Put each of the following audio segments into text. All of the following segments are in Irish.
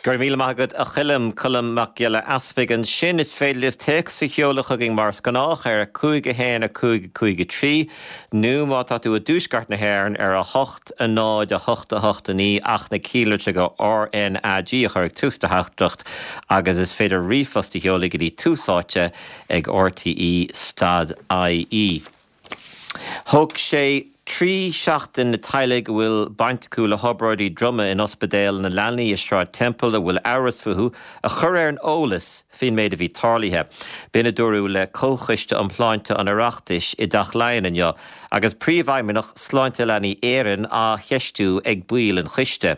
Go raibh míle maith agat a Choilm, Colm Mac Giolla Easpaig ansin. Is féidir libh téacs a sheoladh chugainn mar is gnách ar 5 1 5 5 3 nó má tá tú i dtuaisceart na hÉireann ar 8 0 8 8 9 ach na cinnlitreacha RnaG a chur ag tús do theachtaireacht agus is féidir ríomhphost a sheoladh go dtí Tús Áite ag rte stad ie. Thóg sé 3 seachtain na teaghlaigh a bhfuil baint acu le hobráidí droma in Ospidéal na Leanaí i Sráid Temple a bhfuil amhras fúthu a chur ar an eolas faoin méid a bhí tarlaithe. B'in a dúradh le Comhchoiste um Shláinte an Oireachtais i dTeach Laighean inniu agus Príomhfheidhmeannach Sláinte Leanaí Éireann á cheistiú ag baill an choiste.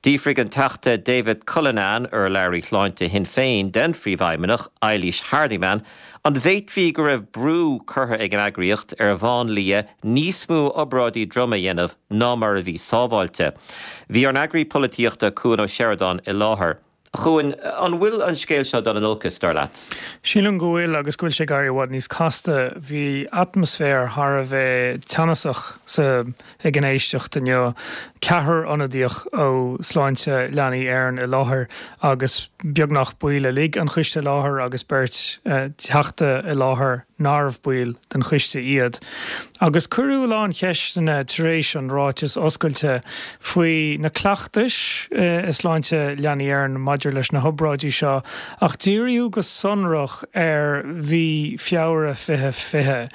D'fhiafraigh an Teachta David Cullinane, urlabhraí shláinte Shinn Féin, den Phríomhfheidhmeannach, Eilís Hardiman, an bhféadfaí go raibh brú curtha ag an eagraíocht ar mháinlia níos mó obráidí droma a dhéanamh ná mar a bhí sábháilte. Bhí ár n-eagraí polaitíochta Cuan Ó Seireadáin i láthair. A Chuain, an bhfuil an scéal seo ag dul in olcas, dar leat? Sílim go bhfuil agus go bhfuil sé ag éirí i bhfad níos casta. Bhí atmaisféar thar a bheith teannasach sa ag an éisteacht inniu. Ceathrar ionadaíoch ó Sláinte Leanaí Éireann i láthair agus beagnach baill uilig an choiste i láthair agus beirt Teachta i láthair nárbh baill den choiste iad. Agus cuireadh a lán cheisteanna tar éis an ráiteas oscailte faoi na cleachtais i Sláinte Leanaí Éireann maidir leis na hobráidí seo ach díríodh go sonrach ar mhí Feabhra 2020.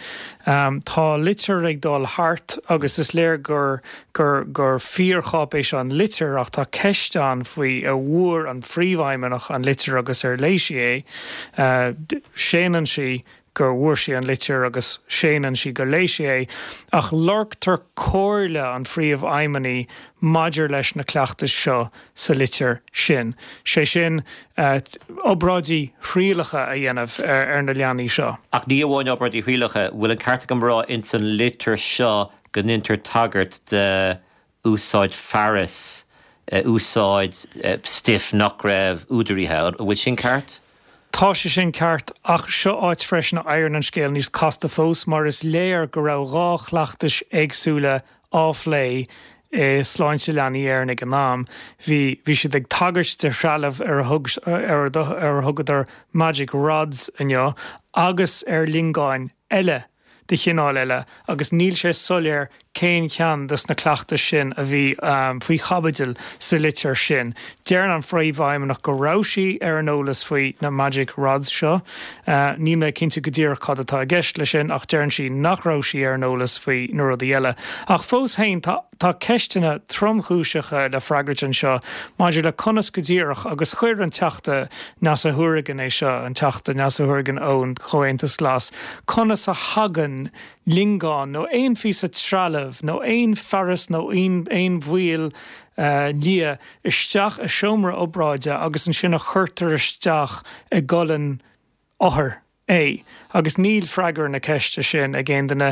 Tá litir ag dul thart agus is léir gur gur gur fíorcháipéis an litir ach tá ceist ann faoi an bhfuair an phríomhfheidhmeannach an litir agus ar léigh sí é. Séanann sí gur bhfuair sí an litir agus séanann sí gur léigh sí é ach lorgtar comhairle an phríomhfheidhmeannaigh maidir leis na cleachtais seo sa litir sin, sé sin, obráidí thrialacha a dhéanamh ar na leanaí seo. Ach ní amháin obráidí thrialacha, bhfuil an ceart agam a rá ins an litir seo go ndeintear tagairt d'úsáid fearas, úsáid stuif nach raibh údaraithe, an bhfuil sin ceart? Tá sé sin ceart, ach seo áit freisin a éiríonn an scéal níos casta fós mar is léir go raibh dhá chleachtais éagsúla á phlé i Sláinte Leanaí Éireann ag an am. Bhí bhí siad ag tagairt de threalamh ar a thug ar ar a thugadar magic rods inniu agus ar lingeáin eile de chineál eile agus níl sé soiléir cén ceann des na cleachtais sin a bhí faoi chaibidil sa litir sin. Deireann an Phríomhfheidhmeannach go raibh sí ar an eolas faoi na magic rods seo. Níl mé cinnte go díreach cad atá i gceist leis sin ach deireann sí nach raibh sí ar an eolas faoi na rudaí eile. Ach fós féin tá tá ceisteanna tromchúiseacha le freagairt anseo maidir le conas go díreach, agus chuir an Teachta Neasa Hourigan é seo, an Teachta Neasa Hourigan ón Chomhaontas Glas, conas a thagann lingeán nó aon phíosa trealaimh nó aon fearas nó aon bhall liath isteach i seomra obráide agus ansin a chuirtear isteach i gcolainn othair é? Agus níl freagra na ceiste sin ag aon duine.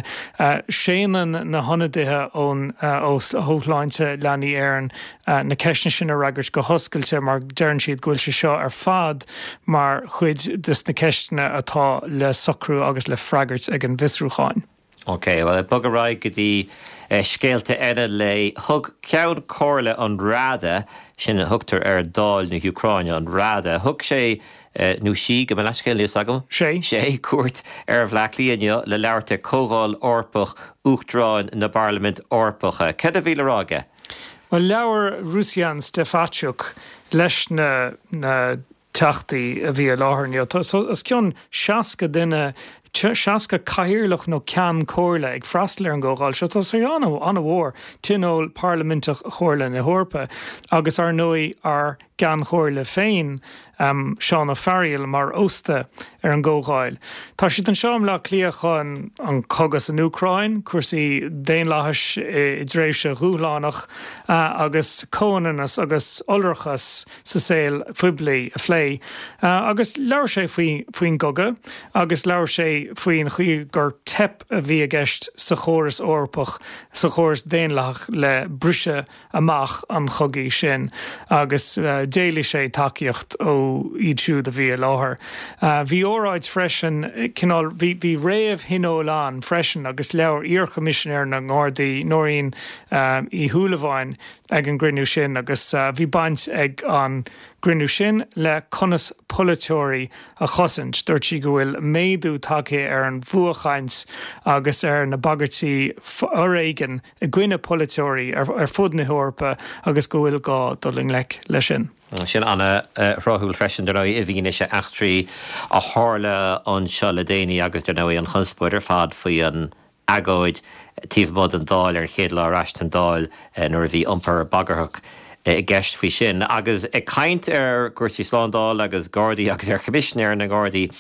Séanann na hionadaithe ón ó Shláinte Leanaí Éireann na ceisteanna sin a fhreagairt go hoscailte mar deireann siad go bhfuil sé seo ar fad mar chuid des na ceisteanna atá le socrú agus le freagairt ag an bhfiosrúcháin. Ok, bhuel ag bogadh ar aghaidh go dtí scéalta eile an lae. Thug Ceann Comhairle an Rada, sin a thugtar ar Dáil na hÚcráine, an Rada, thug sé, nó sí, gabh mo leithscéal, níl 's agam, Sé. sé, cuairt ar Bhleá Cliath inniu le labhairt ag Comhdháil Eorpach Uachtaráin na bParlaimint Eorpacha. Céard a bhí le rá aige? Bhuel, labhair Ruslan Stefanchuk leis na na teachtaí a bhí i láthair inniu. Tá os cionn 60 duine, 60 cathaoirleach nó ceann comhairle ag freastal ar an gcomhdháil seo. Tá sé an-mhór, Tionól Parlaiminteach Chomhairle na hEorpa agus, ar ndóigh, ár gCeann Comhairle féin, Seán Ó Fearghaíl, mar ósta ar an gcomhdháil. Tá siad anseo i mBleá Cliath chun an cogadh san Úcráin, cúrsaí daonlathais i dtréimhse dhúshlánach agus comhionannas agus iolrachas sa saol phoiblí a phlé. Agus labhair sé faoi faoin gcogadh agus labhair sé faoin chaoi gur teip a bhí i gceist sa chóras Eorpach, sa chóras daonlathach le briseadh amach an chogaidh sin agus d'éiligh sé tacaíocht ó. iad siúd a bhí i láthair. Bhí óráid freisin, cineál, bhí, bhí réamh-thionól ann freisin agus labhair iar-Choimisinéir na nGardaí, Nóirín Uí Shúilleabháin ag an gcruinniú sin agus bhí baint ag an gcruinniú sin le conas polaiteoirí a chosaint. Dúirt sí go bhfuil méadú tagtha ar an bhfuathchaint agus ar na bagairtí foréigin i gcoinne polaiteoirí ar fud na hEorpa agus go bhfuil gá dul i ngleic leis sin. Sin an-thráthúil freisin, dar ndóigh, i bhfianaise eachtraí a tharla anseo le déanaí agus, dar ndóigh, an chonspóid ar fad faoi an agóid taobh amuigh den Dáil ar an chéad lá ar ais den Dáil nuair a bhí iompar bagarthach i gceist faoi sin. Agus ag caint ar chúrsaí slándála agus Gardaí agus ar Choimisinéir na nGardaí,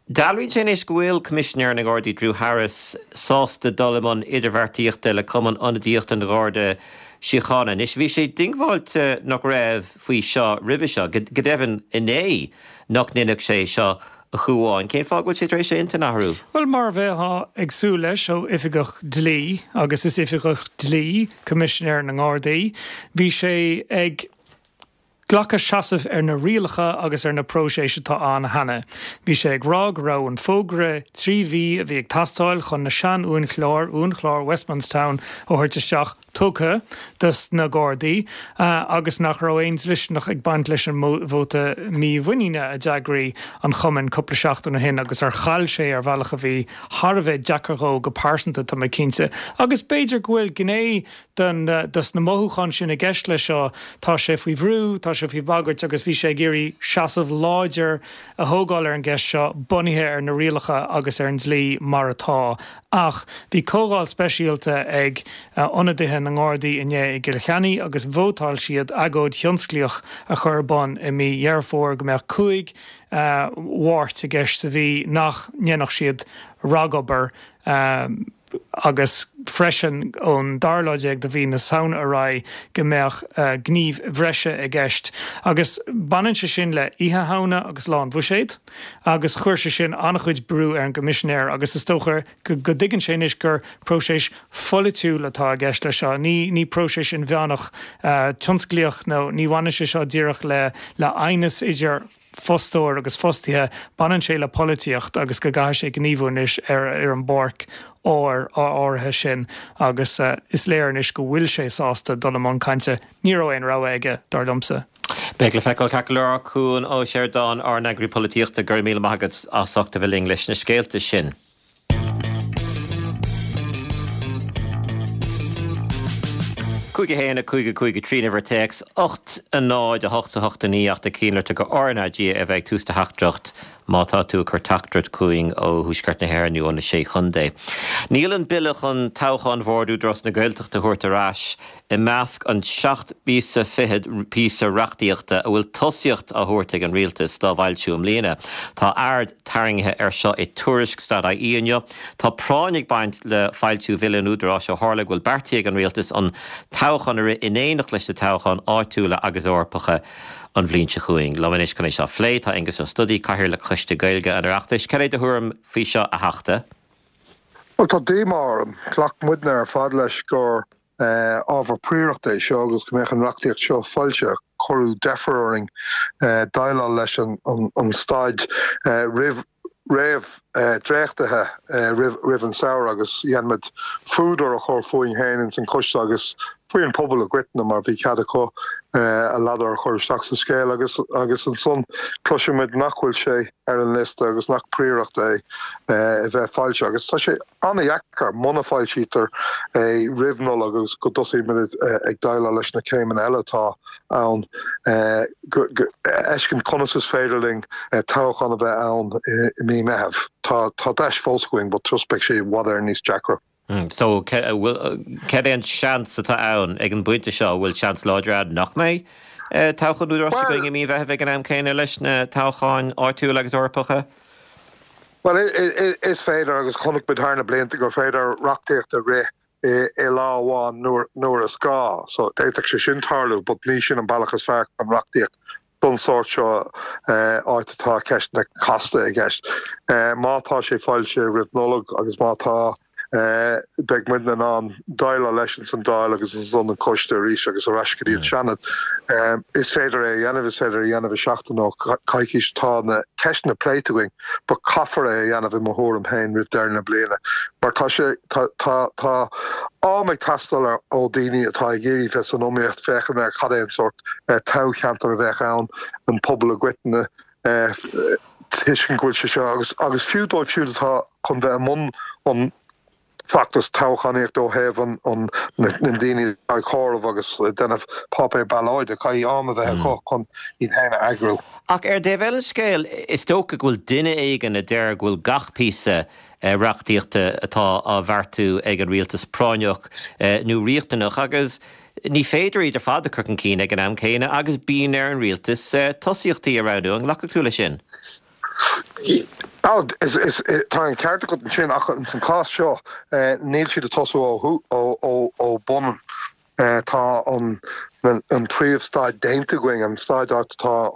dealraíonn sé anois go bhfuil Coimisinéir na nGardaí Drew Harris sásta dul i mbun idirbheartaíochta le Cumann Ionadaíochta an Gharda Síochána. Anois bhí sé diongbháilte nach raibh faoi seo roimhe seo, go deimhin inné nach ndéanfadh sé seo A Chuáin, cén fáth go bhfuil sé tar éis a intinn a athrú? Bhuel, mar a bheifeá ag súil leis ó oifigeach dlí, agus is oifigeach dlí Coimisinéir na nGardaí, bhí sé ag glacadh seasaimh ar na rialacha agus ar na próiséis atá ann cheana. Bhí sé ag rá go raibh an fógra 3 mhí a bhí ag teastáil chun na sean-uainchlár, uainchlár Westmanstown, a thabhairt isteach, tugtha dos na Gardaí agus nach raibh aon dlisteanach ag baint leis an vóta mímhuiníne a d'eagraigh an chumann cúpla seachtain ó shin agus ar chaill sé ar bhealach a bhí thar a bheith deacair dhó go pearsanta, tá mé cinnte. Agus b'fhéidir go bhfuil gné den dos na mothúcháin sin i gceist leis seo, tá sé faoi bhrú, tá sé faoi bhagairt agus bhí sé ag iarraidh seasamh láidir a thógáil ar an gceist seo bunaithe ar na rialacha agus ar an dlí mar atá. Ach bhí comhdháil speisialta ag ionadaithe na nGardaí inné i gCill Chainnigh agus vótáil siad agóid thionsclaíoch a chur ar bun i mí Dheireadh Fómhair go mbeadh 5 Mháirt i gceist sa mhí nach ndéanfadh siad ragobair agus freisin ón dara lá déag de mhí na Samhna ar aghaidh go mbeadh gníomh bhreise i gceist. Agus baineann sé sin le Oíche Shamhna agus Lá an Bhuiséid. Agus chuir sé sin an-chuid brú ar an gCoimisinéir agus is dócha go dtuigeann sé anois gur próiseas pholaitiúil atá i gceist leis seo, ní ní próiseas inmheánach tionsclaíoch nó ní bhaineann sé seo díreach le le aighneas idir fostóir agus fostaithe, baineann sé le polaitíocht agus go gcaithfidh sé gníomhú anois ar ar an bpáirc áir áirithe sin agus is léir anois go bhfuil sé sásta dul i mbun cainte. Ní raibh aon rogha aige, dar liomsa. Beidh le feiceáil ceart go leor. Cuan Ó Seireadáin, ár n-eagraí polaitíochta, go raibh míle maith agat as ucht a bheith linn leis na scéalta sin. 5 1 5 5 3 an uimhir téacs 8 0 8 8 9 ach ag cinntiú gur RnaG a bheidh ag tús do theachtaireacht má tá tú ag cur teachtaireacht chugainn ó Thuaisceart na hÉireann nó ó na Sé Chontae. Níl an bille chun toghchán Bhord Údarás na Gaeltachta a thabhairt ar ais i measc an seacht bpíosa fichead píosa reachtaíochta a bhfuil tosaíocht á thabhairt ag an Rialtas dá bhfoilsiú i mbliana. Tá aird tarraingthe air seo i tuairisc Stat.ie inniu. Tá práinn ag baint le foilsiú Bhille an Údaráis ó tharla go bhfuil beartaithe ag an Rialtas an toghchán a rith in éineacht leis na toghcháin áitiúla agus Eorpacha an bhliain seo chugainn. Liom anois chun é seo a phlé tá Aengus Ó Snodaigh, Cathaoirleach Choiste Gaeilge an Oireachtais. Cad é do thuairim faoi seo, a Theachta? Bhuel, tá díomá orm. Ghlac muidne ar fad leis gur ábhar príorachta é seo agus go mbeadh an reachtaíocht seo foilsithe. Cuireadh deifir orainn déileáil leis an staid roimh réamh dréachtaithe roimh an samhradh agus dhein muid fuadar a chur fúinn féin ins an choiste agus faoi an pobal i gcoitinne mar bhí cead acu a ladar a chur isteach sa scéal agus agus ansan cloiseann muid nach bhfuil sé ar an liosta agus nach príoracht é a bheith foilsithe agus tá sé an-dheacair muna foilsítear é roimh Nollaig agus go dtosaíonn muid ag déileáil leis na céimeanna eile atá ann go fheiscint conas is féidir linn toghchán a bheith ann i mí Meitheamh. Tá tá deis fós againn but just beidh sé i bhfad Éireann níos deacra. So cad é an seans atá ann ag an bpointe seo? An bhfuil seans láidir ann nach mbeidh toghchán Údaráis againn i mí Mheithimh ag an am céanna leis na toghcháin áitiúla agus Eorpacha? Bhuel, is féidir, agus chonaic muid thar na blianta gur féidir reachtaíocht a rith i lá amháin nuair is gá. So, d'fhéadfadh sé sin tarlú, but ní sin an bealach is fearr chun reachtaíocht don sórt seo, áit atá ceisteanna casta i gceist. Má tá sé foilsithe roimh Nollaig agus má tá. Beidh muidne in ann déileáil leis ins an Dáil agus ansan an coiste arís agus ar ais go dtí an Seanad. Is féidir é a dhéanamh, is féidir é a dhéanamh i seachtain nó coicís. Tá na ceisteanna pléite againn but caithfear é a dhéanamh i mo thuairim féin roimh deireadh na bliana mar tá sé, tá, tá, tá am ag teastáil ó daoine atá ag iarraidh bheith san iomaíocht féachaint ar cad é an sórt toghcheantar a bheadh ann, an pobal i gcoitinne, tuiscint go bhfuil sé seo agus agus fiú dóibh siúd atá chun bheith i mbun an feachtas toghchánaíochta ó thaobh an an na ndaoine atá ag comhaireamh agus ag déanamh páipéar ballóide, caithfidh am a bheith acu chun iad féin a eagrú. Ach ar an dtaobh eile den scéal, is dócha go bhfuil duine éigin a deir go bhfuil gach píosa reachtaíochta atá á bheartú ag an rialtas práinneach nó riachtanach agus Ní féidir iad ar fad a chur chun cinn ag an am céanna agus bíonn ar an rialtas tosaíochtaí a roghnú. An nglacfadh tú leis sin? Tá an ceart agat ansin ach ins an cás seo níl siad ag tosú ó bun. Tá an príomhstaid déanta againn, an staid áit atá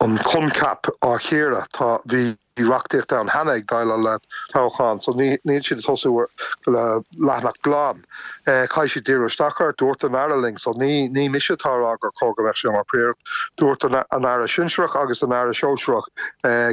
an coincheap á chíoradh. Tá, bhí. Bhí reachtaíocht ann cheana ag déileáil le toghchán so níl siad ag tosú le leathanach glan. Caithfidh siad díriú isteach air. Dúirt an Aire linn, so ní ní mise atá ag rá gur chóir go mbeadh sé mar phríoracht, dúirt an Aire Sinsearach agus an Aire Sóisearach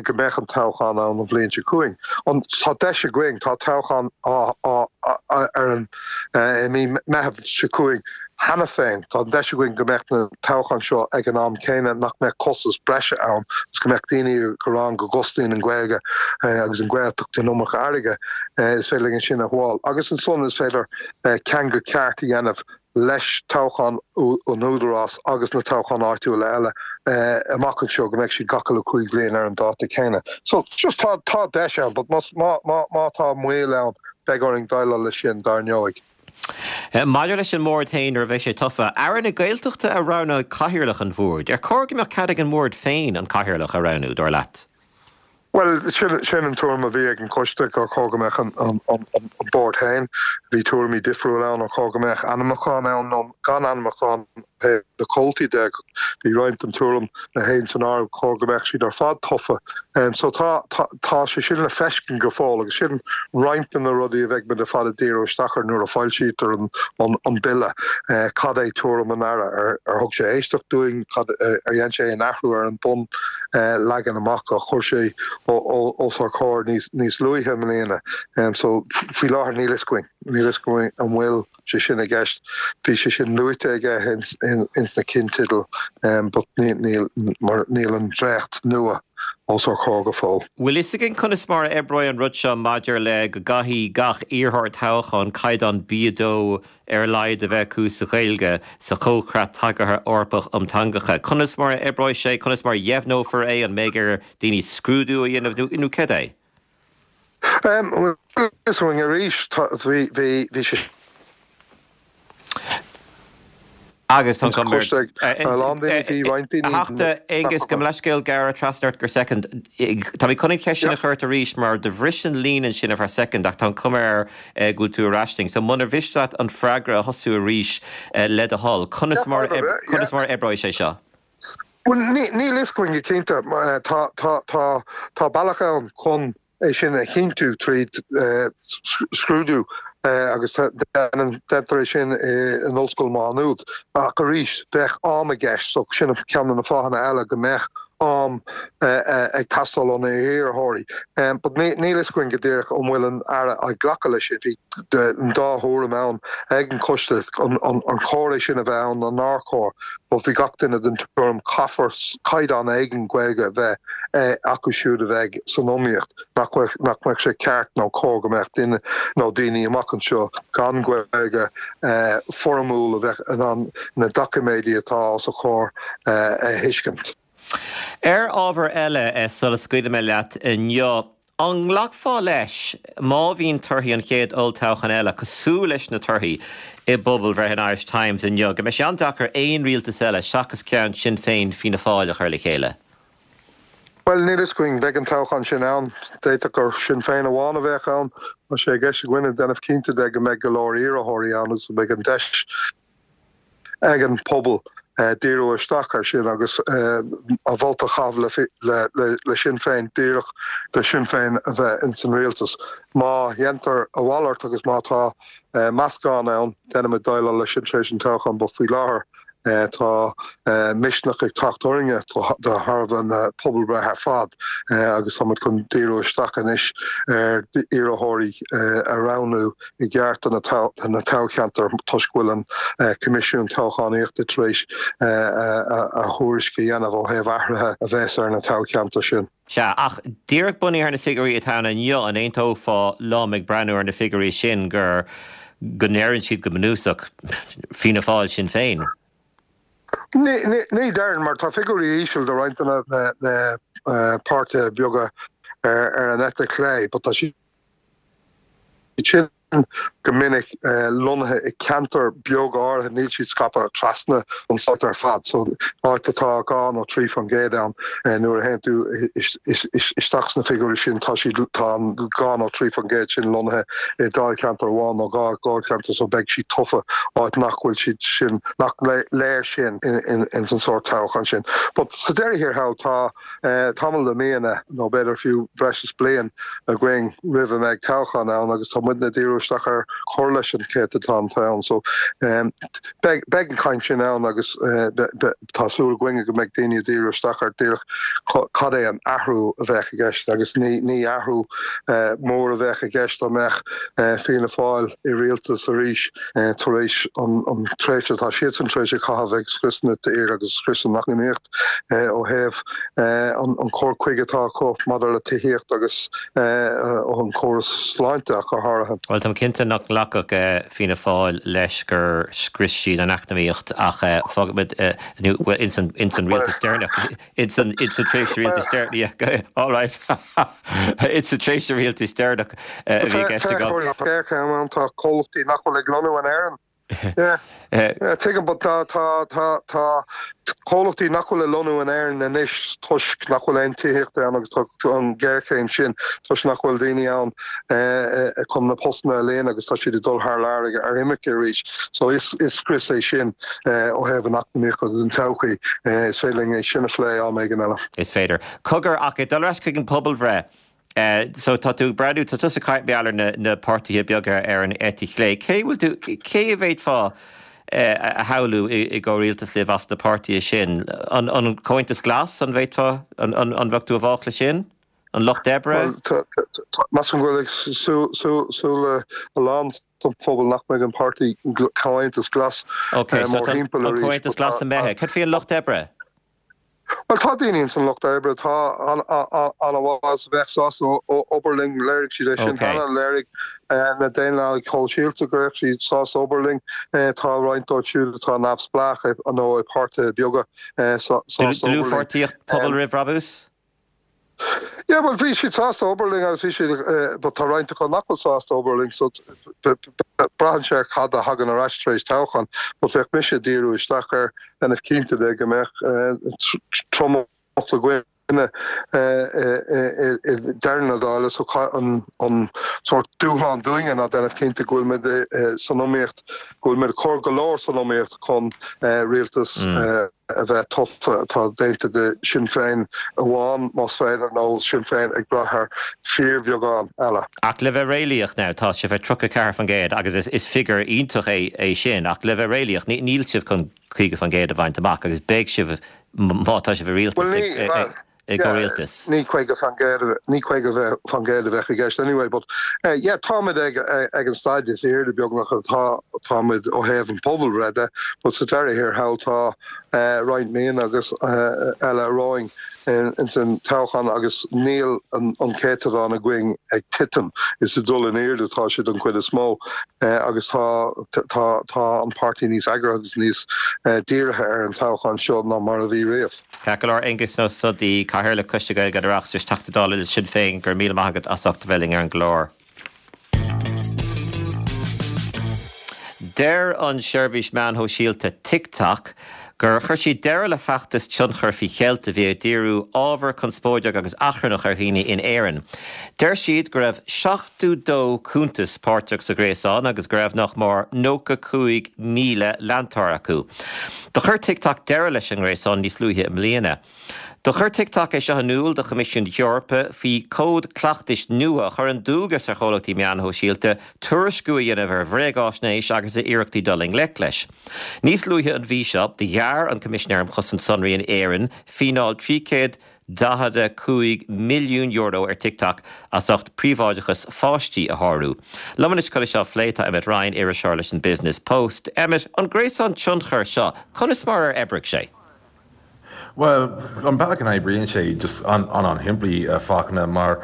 go mbeadh an toghchán ann an bhliain seo chugainn. Tá deis againn, tá toghchán á á ar an i mí Meitheamh seo chugainn. Cheana féin, tá an deis againn go mbeadh na toghcháin seo ag an am céanna, nach mbeadh costas breise ann agus go mbeadh daoine ag rá go gcosnaíonn an Ghaeilge agus an Ghaeltacht an iomarca airgid. Is féidir linn sin a shabháil. Agus ansan is féidir ceangal ceart a dhéanamh leis toghchán an Údarás agus na toghcháin áitiúla eile amach anseo, go mbeadh siad gach uile chúig bhliain ar an dáta céanna. So, just tá tá deis ann, but má má má tá moill ann, beidh orainn déileáil leis sin, dar ndóigh. Maidir leis an mBord féin nuair a bheidh sé tofa, Aire na Gaeltachta a roghnóidh Cathaoirleach an Bhoird. Ar chóir go mbeadh cead ag an mBord féin an Cathaoirleach a roghnú, dar leat? Bhuel, sin an tuairim a bhí ag an choiste, gur chóir go mbeadh an Bord féin. Bhí tuairimí difriúla ann, ar chóir go mbeadh ainmniúchán ann nó gan ainmniúchán ó thaobh na comhaltaí de. Bhí roinnt den tuairim, mé féin san áireamh, chóir go mbeadh siad ar fad tofa. So tá, tá sé sin le feiscint go fóill agus sin roinnt de na rudaí a bheidh muid ar fad ag díriú isteach air nuair a foilsítear an Bille. Cad é tuairim an Aire? Ar thug sé éisteacht dúinn? Cad, ar dhein sé aon athrú ar an bun leagan amach a chuir sé os ár comhair níos luaithe i mbliana? So faoi láthair níl fhios againn. Níl fhios againn an bhfuil. sé sin i gceist. Bhí sé sin luaite aige ins na cinnteidil but níl mar níl an dréacht nua os ár comhair go fóill. Bhfuil fhios againn conas mar a oibreoidh an rud seo maidir le go gcaithfidh gach iarrthóir toghcháin caighdeán B2 ar a laghad a bheith acu sa Ghaeilge sa Chomhchreat Tagartha Eorpach um Teangacha? Conas mar a oibreoidh sé? Conas mar a dheimhneofar é? An mbeidh ar daoine scrúdú a dhéanamh nó céard é? Bhuel, is againn arís, bhí sé Agus tá an cuma ar a lán daoine, bhí roinnt daoine. A Theachta Aengus, gabh mo leithscéal gearradh trasna ort go soicind. Tá mé chun an cheist sin a chur ort arís mar do bhris an líne ansin ar feadh soicind ach tá an cuma air go bhfuil tú ar ais linn. So munar mhiste leat an freagra a thosú arís le do thoil, conas mar conas mar a oibreoidh sé seo? Bhuel, níl fhios againn go cinnte. Tá bealach ann chun é sin a chinntiú tríd scrúdú agus déantar é sin in Ollscoil Mhá Nuad. Ach arís, bheadh am i gceist so sin ceann de na fáthanna eile go mbeadh am ag teastáil ó na hiarrthóirí. But níl fhios againn go díreach an bhfuil an Aire ag glacadh leis sin. Bhí an dá thuairim ann ag an choiste, an chóir é sin a bheith ann nó nár chóir. But bhí gach duine den tuairim caithfear caighdeán éigin Gaeilge a bheith acu siúd a bheidh san iomaíocht, nach mbeadh sé ceart nó cóir go mbeadh duine nó daoine amach anseo gan Gaeilge foirmiúil a bheith in ann na doiciméidí atá os a chomhair a thuiscint. Ar ábhar eile, sula scaoilfidh mé leat inniu, an nglacfá leis, má bhíonn torthaí an chéad olltoghcháin eile cosúil leis na torthaí i bpobalbhreith an Irish Times inniu, go mbeidh sé an-deacair aon rialtas eile seachas ceann Sinn Féin, Fianna Fáil a chur le chéile? Bhuel, níl fhios againn. Beidh an toghchán sin ann. D'fhéadfadh gur Sinn Féin amháin a bheadh ann. Tá sé i gceist againne déanamh cinnte de go mbeidh go leor iarrthóirí ann agus go mbeidh an deis ag an pobal. díriú isteach air sin agus a vóta a chaitheamh le Sinn Féin díreach do Sinn Féin a bheith ins an rialtas. Má dhéantar a mhalairt agus má tá meascán ann, déanfaimid déileáil leis sin tar éis an toghcháin but faoi láthair tá misneach ag teacht orainne de thairbhe na pobalbhreithe ar fad agus táimid chun díriú isteach anois ar iarrthóirí a roghnú i gceart do na toghcheantair toisc go bhfuil an Coimisiún Toghchánaíochta tar éis a thuairisc a dhéanamh ó thaobh athruithe a bheas ar na toghcheantair sin. Sea, ach díreach bunaithe ar na figiúirí atá ann inniu, an aontófá liom ag breathnú ar na figiúirí sin gur, go ndeireann siad go bunúsach, Fianna Fáil, Sinn Féin? Ní déarfainn, mar tá figiúirí íseal do roinnt de na páirtithe beaga ar an eite chlé, but tá siad sin go minic lonnaithe i ceantar beag áirithe, níl siad scaipthe trasna an stát ar fad. So áit atá 2 nó 3% ann, nuair a théann tú isteach sna figiúirí sin, tá siad, tá an 2 nó 3% sin lonnaithe i dáilcheantar amháin nó dhá dháilcheantar so beidh siad tofa áit nach bhfuil siad sin, nach léir sin ins an sórt toghchán sin. But sa deireadh thiar thall tá. tamall de mhíonna, nó b'fhéidir fiú breis is bliain, againn roimh a mbeidh toghchán ann agus tá muidne ag díriú isteach ar chur leis an chéatadán atá ann. So beidh beidh an chaint sin ann agus tá súil againne go mbeidh daoine ag díriú isteach ar díreach cad é an athrú a bheadh i gceist agus ní ní athrú mór a bheadh i gceist dá mbeadh Fianna Fáil i rialtas arís tar éis an tréimhse atá siadsan tar éis a chaitheamh ag scrios na tíre agus scrios an eacnamaíocht. ó thaobh an cur chuige atá acu maidir le tithíocht agus an córas sláinte ach go háirithe. Bhuel, táim cinnte nach nglacfadh Fianna Fáil leis gur scrios siad an eacnamaíocht ach fágfaimid, nó bhuel, ins an, ins an rialtas deireanach, ins an, ins an tréimhse rialtais deireanach, yeah, all right, ins an tréimhse rialtais deireanach a bhí i gceist agam. Géarchéim ann, tá comhlachtaí nach bhfuil ag lonnú in Éirinn. Yeah. Tuigim, but tá, tá, tá, tá comhlachtaí nach bhfuil ag lonnú in Éirinn anois toisc nach bhfuil aon tithíocht ann agus tá an ghéarchéim sin toisc nach bhfuil daoine ann chun na postanna a líonadh agus tá siad ag dul thar lear ag ar imirce arís. So is, is scrios é sin ó thaobh an eacnamaíocht agus an todhchaí. Is féidir linn é sin a phlé am éigin eile. Is féidir. Cogar, ach ag dul ar ais chuig an pobalbhreith, So tá tú ag breathnú, tá tusa ag caint mar gheall ar na, na páirtithe beaga ar an eite chlé. Cé bhfuil tú, cé a bhféadfá a shamhlú i, i gcomhrialtas libh as na páirtithe sin? An, an Comhaontas Glas, an bhféadfá, an, an, an bheadh tú i bhfách leis sin? An Lucht Oibre? Bhuel, tá, tá, measaim go bhfuil ag súil, súil, súil a lán sa phobal nach mbeidh an páirtí Comhaontas Glas Ok, so tá an mórthimpeall arís, Comhaontas but tá, Glas imithe. Cad faoi an Lucht Oibre? Bhuel, tá daoine ins an Lucht Oibre atá an-mhaith agus a bheadh sásta obair linn. Léirigh siad é sin cheana. Léirigh na Daonlathaigh Shóisialta go raibh siad sásta obair linn. Tá roinnt dóibh siúd atá neamhspleách nó i páirtithe beaga sásta obair linn. Dlúthpháirtíocht Pobal Roimh Bhrabús? Yeah, bhuel, bhí siad sásta obair linn agus bhí siad, but tá roinnt acu nach bhfuil sásta obair linn, so braitheann sé ar cad a thagann ar ais tar éis toghcháin, but bheadh mise ag díriú isteach ar dhéanamh cinnte de go mbeadh tromlach againne i ndeireadh na dála, so an sórt dúshlán dúinne ná déanamh cinnte go bhfuil muid san iomaíocht, go bhfuil muid ag cur go leor san iomaíocht chun rialtas a bheith tofa atá déanta de Sinn Féin amháin, más féidir, nó Sinn Féin ag brath ar fíorbheagán eile. Ach le bheith réalaíoch now, tá sibh ar 34% agus is figiúr iontach é sin, ach le bheith réalaíoch, níl sibh chun 50% a bhaint amach agus beidh sibh, má tá sibh i rialtas, ag. i gcomhrialtas. Ní 50%, ní 50% a bheadh i gceist anyway but yeah táimid ag ag an staid is airde beagnach atá táimid ó thaobh an pobalbhreith de but sa deireadh thiar thall tá roinnt míonna agus eile romhainn ins an toghchán agus níl an an céatadán againn ag titim is ag dul in airde atá sé don chuid is mó agus tá tá tá an páirtí níos eagraithe agus níos dírithe ar an toghchán seo ná mar a bhí riamh. Ceart go leor, Aengus Ó Snodaigh, Cathaoirleach Choiste Gaeilge an Oireachtais, Teachta Dála le Sinn Féin, go raibh míle maith agat as ucht a bheith linn ar an gclár. Deir an seirbhís meáin shóisialta TikTok. gur chuir siad deireadh le feachtas tionchair faoi cheilt a bhí ag díriú ábhar conspóideach agus achrannach ar dhaoine in Éirinn. Deir siad go raibh 72 cuntas páirteach sa ghréasán agus go raibh nach mór 95,000 leantóir acu. Do chuir TikTok deireadh leis an ngréasán níos luaithe i mbliana. Do chuir TikTok é seo in iúl do Choimisiún na hEorpa faoi chód cleachtais nua a chuireann dualgas ar chomhlachtaí meáin shóisialta tuairisciú a dhéanamh ar bhréagáisnéis agus ar iarrachtaí dul i ngleic leis. Níos luaithe an mhí seo, do ghearr an Coimisinéir um Chosaint Sonraí in Éirinn fíneáil €345 milliún ar TikTok as ucht príobháideachas pháistí a shárú. Liom anois chun é seo a phlé tá Emmet Ryan, iriseoir leis an Business Post. Emmet, an gréasán tionchair seo, conas mar ar oibrigh sé? Bhuel, an bealach a n-oibríonn sé, just an-an-shimplí, a Fachtna, mar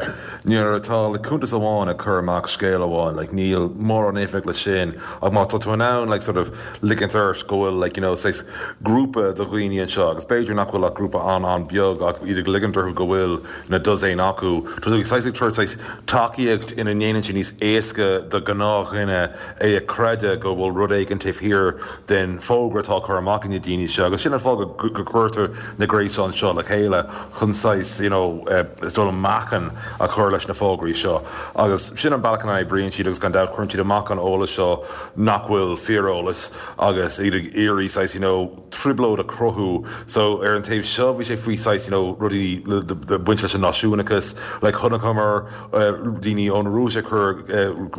nuair atá like cuntas amháin ag cur amach scéal amháin, like níl mórán éifeacht leis sin, ach má tá tú in ann like sort of ligint ort go bhfuil like you know saghas grúpa de dhaoine anseo, agus b'fhéidir nach bhfuil ach grúpa an-an-bheag ach iad ag ligint orthu go bhfuil na dosaen acu, tá tú saghas ag tabhairt saghas tacaíocht ina ndéanann sé níos éasca do ghnáthdhuine é a chreideamh go bhfuil rud éigin taobh thiar den fógra atá á chur amach ag na daoine seo agus sin an fáth go gcuirtear na gréasáin seo le chéile chun saghas you know is dóigh liom meáchan a chur leis na fógraí seo agus sin an bealach ina n-oibríonn siad agus gan dabht cuireann siad amach an eolas seo nach bhfuil fíoreolas agus iad ag iarraidh saghas you know trioblóid a chruthú. So ar an taobh seo bhí sé faoi saghas you know rudaí le baint leis an náisiúnachas, like chonaiceamar daoine ón Rúis ag cur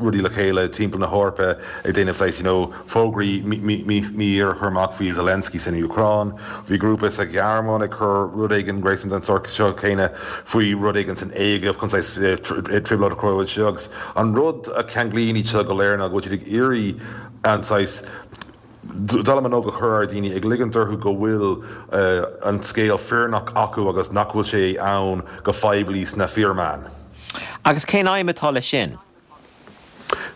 rudaí le chéile timpeall na hEorpa ag déanamh saghas you know fógraí mífhíor a chur amach faoi Zelensky san Úcráin. Bhí grúpa sa Ghearmáin ag cur rud éigin, gréasán den sórt seo céanna faoi rud éigin san Éigipt chun saghas trioblóid a chruthú anseo agus an rud a cheanglaíonn iad seo go léir ná go bhfuil siad ag iarraidh an saghas dallamullóg a chur ar dhaoine, ag ligint orthu go bhfuil an scéal fírinneach acu agus nach bhfuil sé ann go poiblí sna fíormheáin. Agus cén aidhm atá leis sin?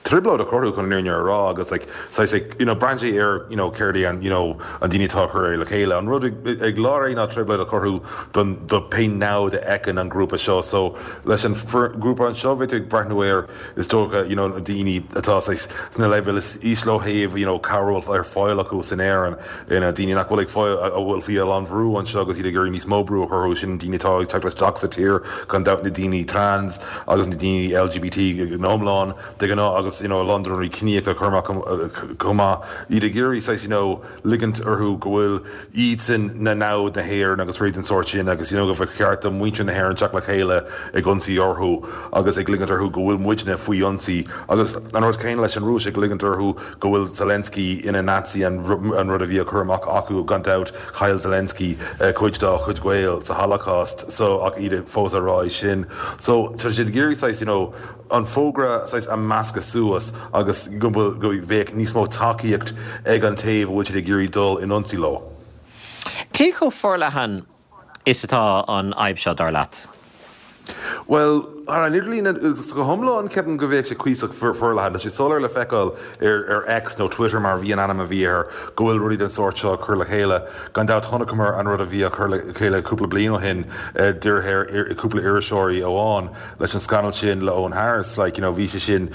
Trioblóid a chruthú chun an fhírinne a rá agus like saghas like you know braitheann sé ar you know céard é an you know an daoine atá ag cur é le chéile. An rud ag lár é ná trioblóid a chruthú don do pé namhaid a fheiceann an grúpa seo so leis an grúpa anseo bhí tú ag breathnú ar Is dócha, you know, na daoine atá saghas sna leibhéil is ísle ó thaobh, you know, cabhair a bhfuil ar fáil acu san Éirinn, you know, daoine nach bhfuil ag fáil, a bhfuil faoi a lán bhrú anseo agus iad ag iarraidh níos mó brú a chur orthu, sin daoine atá ag teacht isteach sa tír, gan dabht na daoine trans agus na daoine LGBT in iomlán de ghnáth agus, you know, a lán de na rudaí ciníocha a chur amach chomh maith, iad ag iarraidh saghas, you know, ligint orthu go bhfuil iadsan na namhaid na hÉireann agus rudaí den sórt sin agus you know go cheart do mhuintir na hÉireann teacht le chéile ag ionsaí orthu agus ag ligint orthu go bhfuil muidne faoi ionsaí agus an rud céanna leis an Rúis ag ligint orthu go bhfuil Zelensky ina Nazi an rud a bhí á chur amach acu gan dabht chaill Zelensky cuid dá chuid gaol sa Holocaust so ach iad fós á rá é sin so tá siad ag iarraidh saghas you know an fógra saghas a mheascadh suas agus go bhfuil, go mbeadh níos mó tacaíocht ag an taobh a bhfuil siad ag iarraidh dul in ionsaí leo. Cé chomh forleathan is atá an fhadhb seo, dar leat? Bhuel, ar an idirlíon go hiomlán, ceapaim go bheadh sé cuíosach forleathan. Tá sé soiléir le feiceáil ar X, nó Twitter mar a bhí an ainm a bhí air, go bhfuil rudaí den sórt seo á cur le chéile. Gan dabht chonaiceamar an rud a bhí á cur le chéile cúpla bliain ó shin, dírithe ar cúpla iriseoirí amháin. leis an scannal sin le Eoghan Harris, like, you know, bhí sé sin,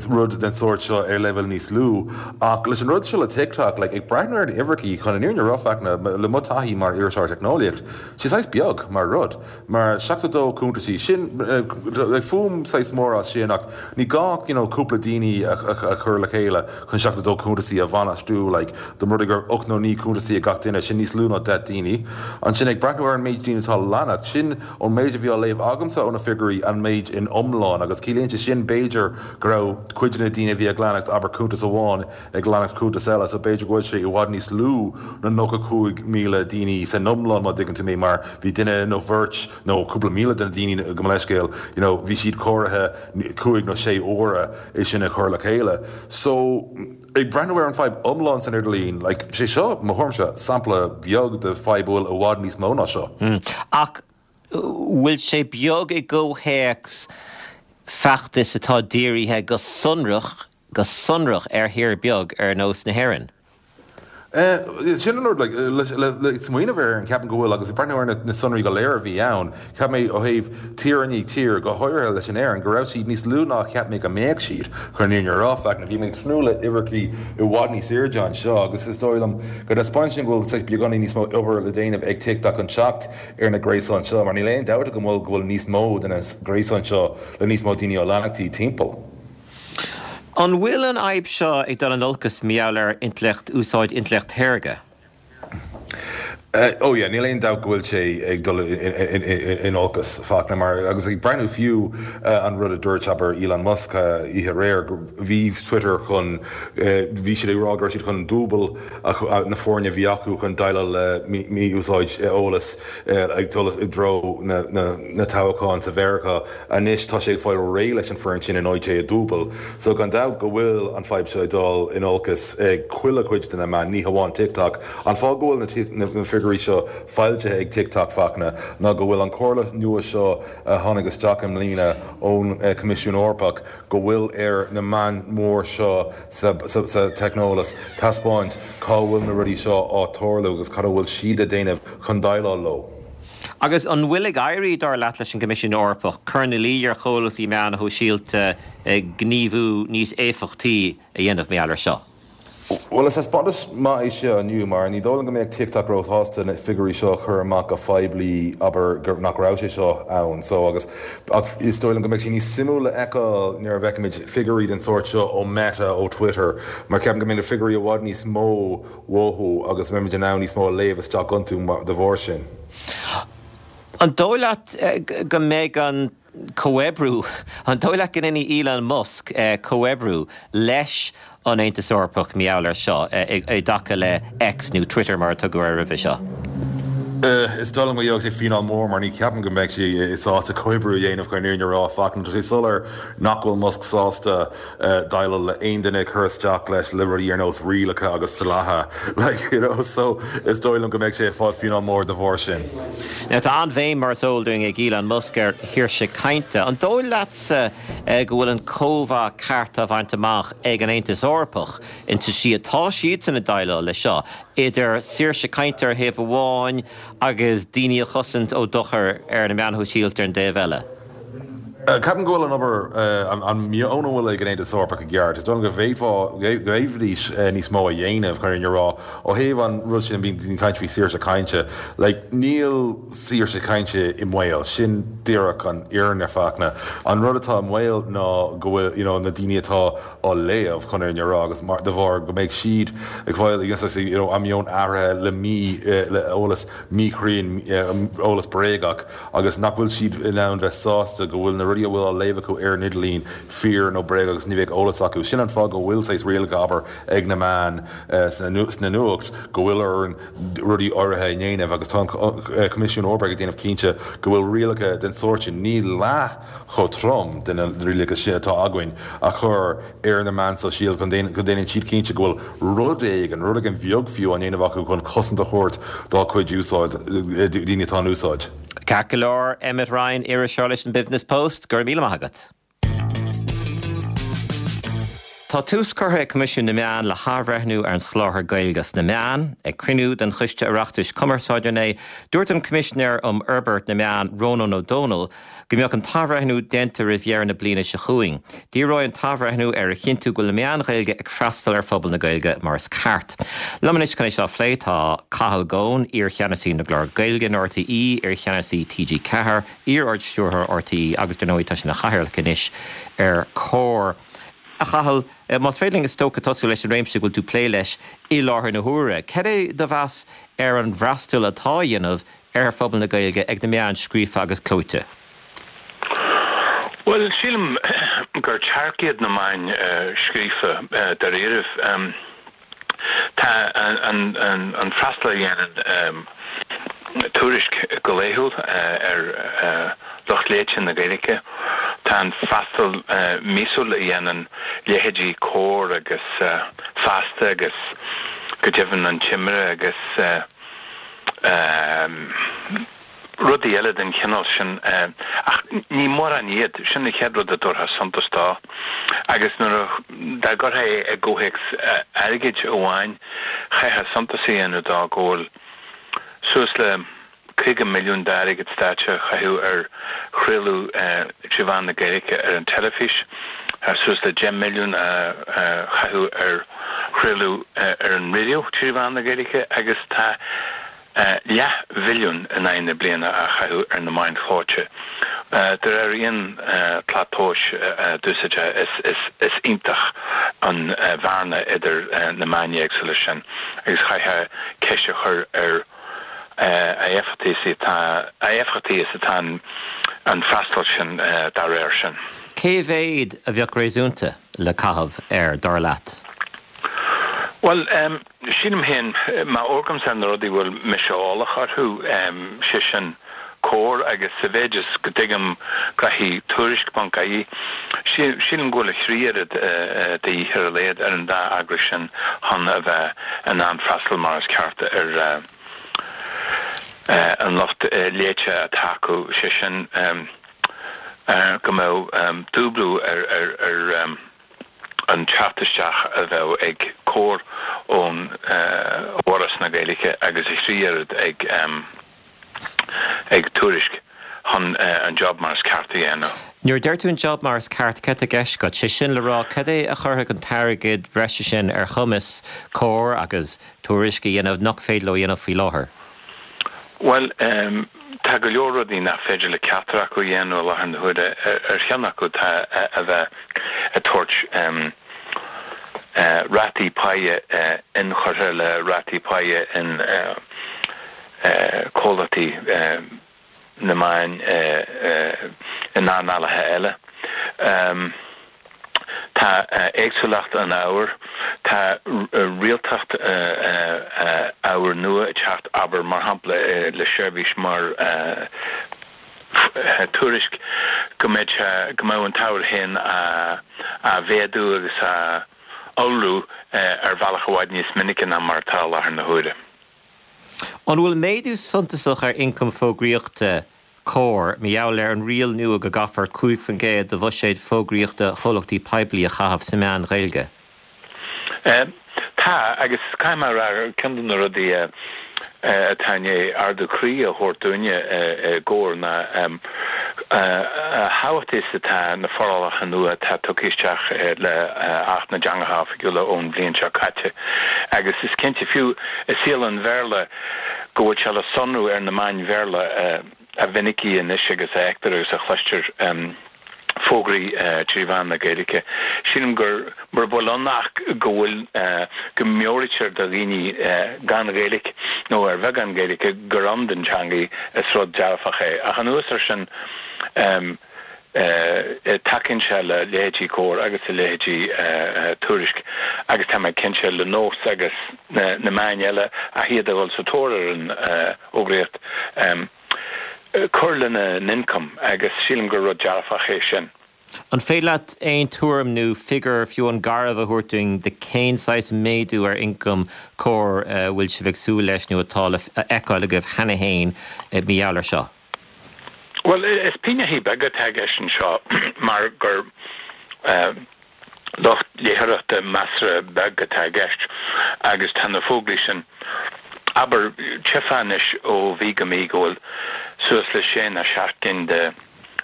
rud den sórt seo ar leibhéal níos lú. Ach leis an rud seo le TikTok, like, ag breathnú ar na uimhreacha, chun an fhírinne a rá, Fachtna, le mo taithí mar iriseoir teicneolaíocht, sé saghas beag mar rud. Mar 72 cuntasaí, sin, like, fuaim saghas mór as sin ach ní gá ach, you know, cúpla daoine a chur le chéile chun 72 cuntasaí a bhainistiú, like, dá mba rud é gur ocht nó naoi cuntasaí ag gach duine, sin níos lú ná 10 daoine. Ansin ag breathnú ar an méid daoine atá ag leanacht, sin, Ón méid a bhí á léamh agamsa ó na figiúirí, an méid in iomlán, agus ciallaíonn sé sin, b'fhéidir, go raibh cuid de na daoine a bhí ag leanacht, abair, cuntas amháin ag leanacht cuntas eile, so b'fhéidir go bhfuil sé i bhfad níos lú ná 95,000 daoine san iomlán, má dtuigeann tú mé, mar bhí duine nó bheirt nó cúpla míle de na daoine, gabh mo leithscéal, you know, bhí siad cóirithe cúig nó sé huaire é sin a chur le chéile. So. Ag breathnú ar an fadhb iomlán san idirlíon, like, sé seo, mo thuairimse, sampla beag de fadhb a bhfuil i bhfad níos mó ná seo. Ach bhfuil sé beag i gcomhthéacs feachtais atá dírithe go sonrach, go sonrach ar thír beag ar nós na hÉireann? Sin an rud, like, le smaoineamh air, ceapaim go bhfuil, agus ag breathnú ar na sonraí go léir a bhí ann, cheap mé ó thaobh tír i ndiaidh tír, go háirithe leis an Éirinn, go raibh siad níos lú ná a cheap mé go mbeadh siad, chun an fhírinne a rá, Fachtna. Bhí mé ag tnúth le uimhreachaí i bhfad níos airde anseo agus is dóigh liom go dtaispeánann sin go bhfuil saghas beagáinín níos mó obair le déanamh ag TikTok chun teacht ar na gréasáin seo, mar níl aon dabht agam go bhfuil níos mó de na gréasáin seo le níos mó daoine á leanacht timpeall. An bhfuil an fhadhb seo ag dul in olcas mar gheall ar intleacht, úsáid intleacht shaorga? Oh yeah, níl aon dabht go bhfuil sé ag dul in olcas, Fachtna, mar, agus ag breathnú fiú an rud a dúirt, abair, Elon Musk oíche aréir, bhí Twitter chun, bhí siad ag rá go raibh siad chun dúbail na foirne a bhí acu chun déileáil le mí-úsáid eolas ag dul i dtreo na toghcháin sa Mheiriceá. Anois tá sé ag fáil réidh leis an foireann sin in áit é a dúbail. So gan dabht go bhfuil an fadhb seo ag dul in olcas ag chuile chuid de na meáin, ní hamháin TikTok. An fáth go bhfuil na figiúirí seo foilsithe ag TikTok, Fachtna, ná go bhfuil an chomhairle nua seo a tháinig isteach i mbliana ón Coimisiún Eorpach go bhfuil ar na meáin mhór seo sa teicneolaíocht taispeáint cá bhfuil na rudaí seo á tarlú agus cad a bhfuil siad a déanamh chun déileáil leo. Agus an bhfuil ag éirí, dar leat, leis an gCoimisiún Eorpach cur ina luí ar chomhlachtaí meán shóisialta gníomhú níos éifeachtaí a dhéanamh mar gheall air seo? Bhuel, is taispeántas maith é seo inniu mar ní dóigh liom go mbeadh TikTok róshásta na figiúirí seo a chur amach go poiblí, abair, gur nach raibh sé seo ann. So, agus, ach is dóigh liom go mbeidh sé níos suimiúla a fheiceáil nuair a bhfeicfimid figiúirí den sórt seo ó Meta, ó Twitter, mar ceapaim go mbeidh na figiúirí i bhfad níos mó uathu agus mbeimid in ann níos mó a léamh isteach iontu de bharr sin. An dóigh leat go mbeidh an comhoibriú, an dóigh leat go ndéanfaidh Elon Musk comhoibriú leis an Aontas Eorpach mar gheall air seo i dtaca le X nó Twitter mar a tugadh air roimhe seo? Is dóigh liom go gheobhaidh sé fíneáil mór mar ní cheapaim go mbeidh sé sásta comhoibriú a dhéanamh chun an fhírinne a rá. Fachtna, tá sé soiléir nach bhfuil Musk sásta déileáil le aon duine ag cur isteach leis le rudaí ar nós rialacha agus dlíthe like you know so is dóigh liom go mbeidh sé ag fáil fíneáil mór de bharr sin. Now tá an-bhéim mar is eol dúinn ag Elon Musk ar shaoirse cainte. An dóigh leatsa go bhfuil an cóimheá ceart á bhaint amach ag an Aontas Eorpach insa tslí atá siadsan ag déileáil leis seo, idir saoirse cainte ar thaobh amháin agus daoine a chosaint ó dochar ar na meáin shóisialta ar an dtaobh eile? Ceapaim go bhfuil an obair, an meon a bhfuil ag an Aontas Eorpach i gceart. Is dóigh liom go bhféadfá, go bhféadfaidís níos mó a dhéanamh, chun an fhírinne a rá. Ó thaobh an rud sin, bíonn daoine ag caint faoi saoirse cainte. Like, níl saoirse cainte i mbaol. Sin díreach an fhírinne, Fachtna. An rud atá i mbaol ná go bhfuil, you know, na daoine atá á léamh, chun an fhírinne a rá, agus mar, de bharr go mbeidh siad ag fáil, you know, a meon athraithe le mí, le eolas míchruinn, eolas bréagach. agus nach bhfuil siad in ann bheith sásta go bhfuil na rudaí a bhfuil á léamh acu ar an idirlíon fíor nó bréagach agus ní bheadh eolas acu. Sin an fáth go bhfuil saghas rialacha, abair, ag na meáin sna nuacht go bhfuil orainn rudaí áirithe a dhéanamh agus tá an Coimisiún Eorpach ag déanamh cinnte go bhfuil rialacha den sórt sin, ní leath chomh trom de na rialacha sin atá againn, a chur ar na meáin sóisialta go ndéanann siad cinnte go bhfuil rud éigin, rud éigin bheag fiú, á ndéanamh acu chun cosaint a thabhairt dá cuid úsáid, daoine atá in úsáid. Ceart go leor, Emmet Ryan, iriseoir leis an Business Post, go raibh míle maith agat. Tá tús curtha ag Coimisiún na Meán le hathbhreithniú ar an soláthar Gaeilge sna meáin. Ag cruinniú den Choiste Oireachtais Cumarsáide inné, dúirt an Coimisinéir um Fhorbairt na Meán, Rónán Ó Domhnaill, go mbeadh an t-athbhreithniú déanta roimh dheireadh na bliana seo chugainn. Díreoidh an t-athbhreithniú ar a chinntiú go bhfuil na meáin Ghaeilge ag freastal ar phobal na Gaeilge mar is ceart. Liom anois chun é seo a phlé tá Cathal Goan, iar-cheannasaí na gclár Gaeilge in RTÉ, iar-cheannasaí TG4, iar-Ard-Stiúrthóir RTÉ agus dar ndóigh tá sé ina chathaoirleach anois ar Comhar. A Chathail, más féidir linn is dócha tosú leis an réimse go bhfuil tú ag plé leis i láthair na huaire. Cad é do mheas ar an bhfreastal atá á dhéanamh ar phobal na Gaeilge ag na meáin scríofa agus clóite? Bhuel, sílim gur tearc iad na meáin scríofa, dáiríribh. Tá an freastal a dhéanann Tuairisc go laethúil ar lucht léite na Gaeilge, tá an freastal míosúil a dhéanann leithéidí Comhar agus Feasta agus go deimhin An Timire agus. Rudaí eile den chineál sin, ach ní mórán iad, sin an chéad rud a dtabharfá suntas dó. Agus nuair a, dá gcuirfeá é i gcomhthéacs airgid amháin, chaithfeá suntas a dhéanamh dó go bhfuil suas le 50 milliún d'airgead stáit á chaitheamh ar chraoladh trí mheán na Gaeilge ar an teilifís, suas le 10 milliún á chaitheamh ar chraoladh ar an raidió trí mheán na Gaeilge agus tá leathbhilliún in aghaidh na bliana á chaitheamh ar na meáin chlóite. De réir aon tslat tomhais a d'úsáidfeá is iontach an bhearna idir na meáin éagsúla sin agus chaithfeá ceist a chur ar a éifeachtaí is atá a éifeachtaí is atá an freastal sin dá réir sin. Cé mhéad a bheadh réasúnta le caitheamh air, dar leat? Bhuel, sílim féin, má amharcaimse ar na rudaí a bhfuil mise eolach orthu, sé sin Comhar agus sa mhéid is go dtuigim gnoithí Tuairisc ponc ie, sílim go bhfuil a thrí oiread de dhíth ar a laghad ar an dá eagras sin chun a bheith in ann freastal mar is ceart ar an lucht léite atá acu, sé sin go mbeadh dúblú ar an teacht isteach a bheadh ag Comhar ón bhForas na Gaeilge agus a thrí oiread ag. ag Tuairisc chun an job mar is ceart a dhéanamh. Nuair a deir tú an job mar is ceart, cad tá i gceist agat? Sé sin le rá, cad é a chuirfeadh an t-airgead breise sin ar chumas Comhar agus Tuairisc a dhéanamh nach féidir leo a dhéanamh faoi láthair? Bhuel, tá go leor rudaí nach féidir le ceachtar acu a dhéanamh i láthair na huaire. Ar cheann acu tá a bheith ag tabhairt rátaí páighe inchurtha le rátaí páighe in comhlachtaí na meáin in earnálacha eile. Tá éagsúlacht an ábhair, tá rialtacht ábhair nua ag teacht, abair mar shampla le seirbhís mar Tuairisc go mbeidh sé, go mbeidh an t-ábhar féin á mhéadú agus á iolrú ar bhealach i bhfad níos minice ná mar atá i láthair na huaire. An bhfuil méadú suntasach ar ioncam fógraíochta Comhar mar gheall ar an riail nua go gcaithfear 5% de bhuiséad fógraíochta chomhlachtaí poiblí a chaitheamh sna meáin Ghaeilge? Tá, agus caithfidh mé a rá, ceann de na rudaí atá i ndiaidh ardú croí a thabhairt dúinne i gComhar ná a thábhachtaí is atá na forálacha nua atá tugtha isteach le Acht na dTeangacha Oifigiúla ón bhliain seo caite agus is cinnte, fiú i saol an Bhéarla, go bhfuil sé le sonrú ar na meáin Bhéarla a mhinicí anois agus a fheictear agus a chloistear fógraí trí mheán na Gaeilge. Sílim gur, mura bhfuil ann ach go bhfuil, go meabhraítear do dhaoine gan Ghaeilge nó ar bheagán Gaeilge gur ann don teanga, is rud dearfach é. Ach anuas air sin, tacaíonn sé le leithéidí Comhar agus le leithéidí Tuairisc agus tá mé cinnte le Nós agus na meáin eile ach iad a dhul sa tóir ar an fhógraíocht. cur lena n-ioncam agus sílim gur rud dearfach é sin. An féidir leat aon tuairim nó figiúr, fiú amháin garbh, a thabhairt dúinn de cén saghas méadú ar ioncam Comhar a bhfuil sibh ag súil leis nó atá le feiceáil agaibh cheana féin mar gheall air seo? Bhuel, is pingneachaí beaga atá i gceist anseo mar gur lucht léitheoireachta measartha beag atá i gceist agus tá na fógraí sin, abair, tchífeá anois ó mhí go mí go bhfuil suas le sé nó seacht gcinn de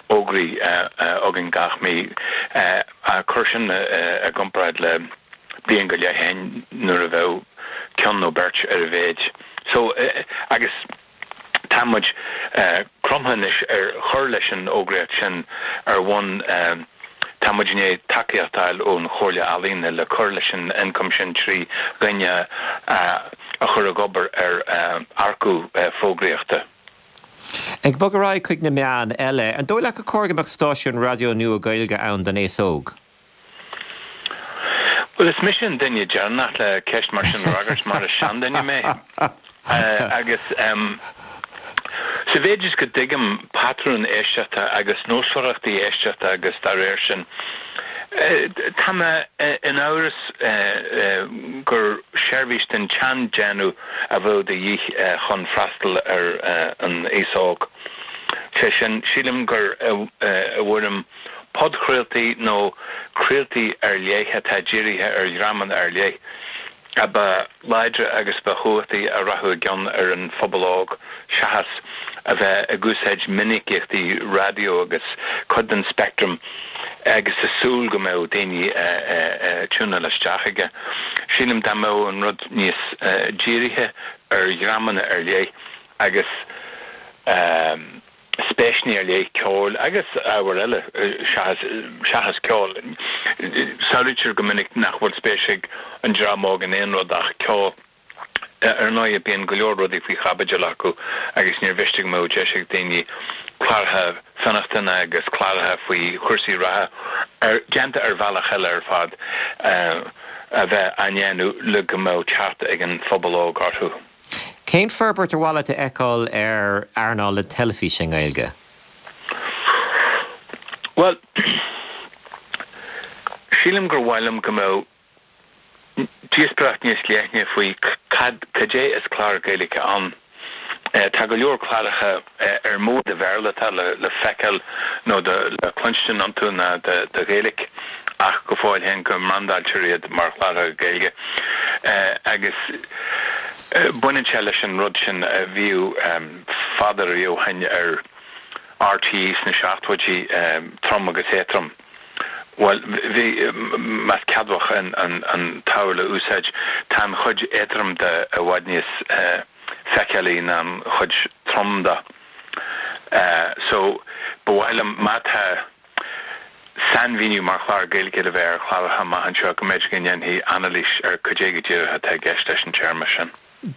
fhógraí againn gach mí. Cuir sin i gcomparáid le bliain go leith ó shin nuair a bheadh ceann nó beirt ar a mhéid. So, agus. Tá muid cromtha anois ar chur leis an fhógraíocht sin ar bhonn, tá muid i ndiaidh tacaíocht a fháil ón Chomhairle Ealaíon le cur leis an ioncam sin trí dhuine a chur ag obair ar earcú fógraíochta. Ag bogadh ar aghaidh chuig na meáin eile, an dóigh leat gur cóir go mbeadh stáisiún raidió nua Gaeilge ann don aos óg? Bhuel, is mise an duine deireanach le ceist mar sin a fhreagairt mar is seanduine mé. Agus sa mhéid is go dtuigim patrúin éisteachta agus nósmhaireachtaí éisteachta agus dá réir sin. Tá mé in amhras gur seirbhís den tseandéanamh a bheadh de dhíth chun freastal ar an aos óg. Sé sin, sílim gur i bhfoirm podchraoltaí nó craoltaí ar leith atá dírithe ar dhreamanna ar leith a ba láidre agus ba chumhachtaí a rachadh i gcion ar an phobal óg seachas a bheith ag úsáid minicíochtaí raidió agus cuid den speictream agus ag súil go mbeadh daoine ag tiúnáil isteach aige. Sílim dá mbeadh an rud níos dírithe ar dhreamanna ar leith agus. spéiseanna ar leith ceoil agus ábhair eile seachas seachas ceol. Samhlaítear go minic nach bhfuil spéis ag an dream óg in aon rud ach ceol. Ar ndóigh, bíonn go leor rudaí faoi chaibidil acu agus níor mhiste go mbeadh deis ag daoine cláracha fionnachtana agus cláracha faoi chúrsaí reatha, déanta ar bhealach eile ar fad, a bheith á ndéanamh le go mbeadh teacht ag an phobal óg orthu. Cén forbairt ar mhaith leat a fheiceáil ar earnáil na teilifíse i nGaeilge? Bhuel, sílim gur mhaith liom go mbeadh díospóireacht níos leithne faoi cad, cad é is clár Gaeilge ann. Tá go leor cláracha ar mó de Bhéarla atá le feiceáil nó le cluinstin iontu ná de Ghaeilge ach go fóill féin go mbrandáiltear iad mar chláracha Gaeilge agus baineann sé leis an rud sin a bhíodh fada riamh ó shin ar RTÉ sna seachtóidí, trom agus éadtrom. Bhuel, bhí, más ceadmhach an tsamhail a úsáid, tá an chuid éadrom de i bhfad níos feiceálaí ná an chuid trom de. So, ba mhaith liom, má tá sainmhíniú mar chlár Gaeilge le bheith ar chláracha amach anseo, go mb'fhéidir go ndéanfaí anailís ar cad é go díreach atá i gceist leis an téarma sin.